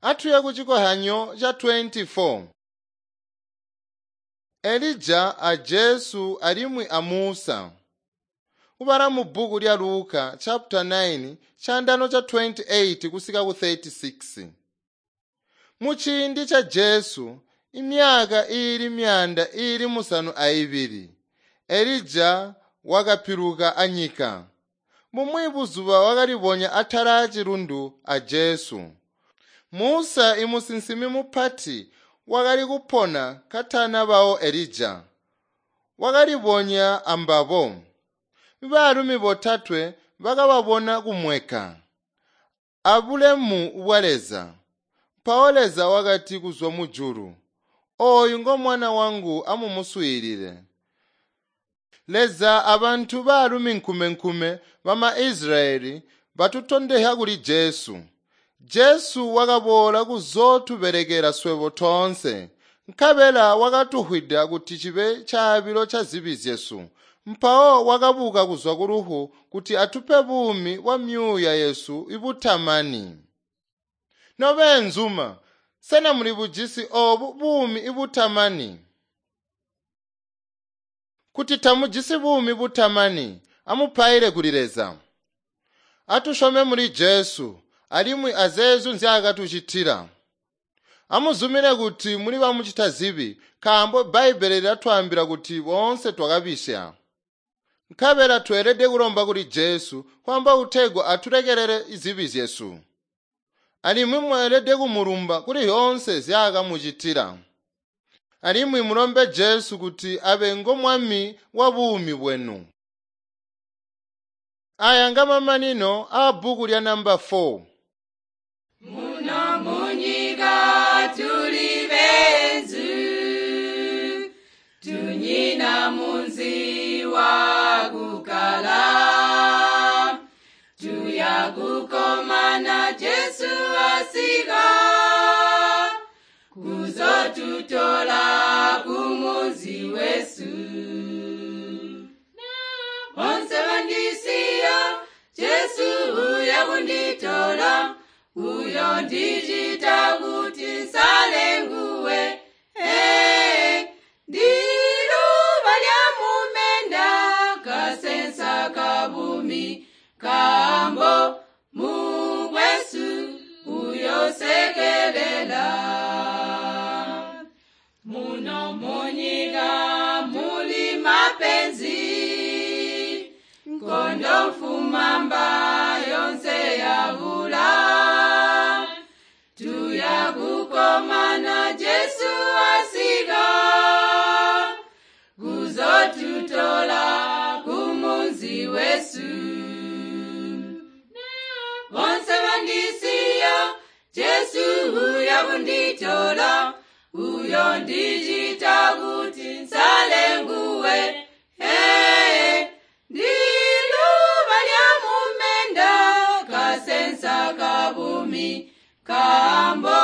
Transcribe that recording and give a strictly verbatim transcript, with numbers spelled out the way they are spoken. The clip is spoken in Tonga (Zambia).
Atuye ku chikohanyo cha twenty-four. Elija a Jesu alimwi a Musa. Kubala mu bbuku lya Luka chapter nine chandano cha twenty-eight kusika ku thirty-six. Muchiindi cha Jesu imyaka ili myanda ili musanu aibili Elija wakapiluka anyika. Mumwi buzuba wakalibonya atala achilundu a Jesu. Musa imusinsimi mupati wakali kupona katana bawo Elija. Wakalibonya ambabo. Baalumi botatwe bakababona kumweka abulemu bwa Leza. Mpawo Leza wakati kuzwa mujulu, "Oyu ngo mwana wangu, amumuswiilile." Leza abantu baalumi nkumenkume bama Israyeli batutondehya kuli Jesu. Jesu wakaboola kuzotubelekela swebo toonse, nkabela wakatuhwida kuti chibe chaabilo cha zibi zyesu. Mpawo wakabuka kuzwa ku lufu kuti atupe buumi bwa myuuya yesu ibutamani. Nobenzuma, sena muli bujisi obu buumi ibutamani? Kuti tamujisi buumi butamani, amupaile kuli Leza. Atushome muli Jesu alimwi azeezo nzyaakatucitila. Amuzumine kuti muli bamucita zibi, nkaambo Bbaibbele lilatwaambila kuti boonse twakabisya. Nkabela tweelede kulomba kuli Jesu kwaamba kutegwa atulekelele zibi zyesu. Alimwi mweelede kumulumba kuli zyoonse nzyaakamucitila. Alimwi mulombe Jesu kuti abe ngo Mwami wa buumi bwenu. Aya ngamamanino a bbuku lya namba four. Muno munyika tuli benzu, tunyina munzi wa kukala. Tuya kukomana Jesu asika, kuzotutola kumunzi wesu. Bonse bandisiya, Jesu uya kunditola, uyo ndichita kuti nsale nguwe. Hey, ndiluba lya mumenda, kasensa kabumi, kambo mukwesu uyosekelela. Muno munyika muli mapenzi, nkondo mfumamba yonse yavula. Tuya kukomana Jesu asika, kuzotutola kumunzi wesu. Bonse bandisiya, Jesu uya kunditola, uyo ndichita kuti nsale nguwe. Hey, ndiluba lya mumenda, kasensa kabumi, kambo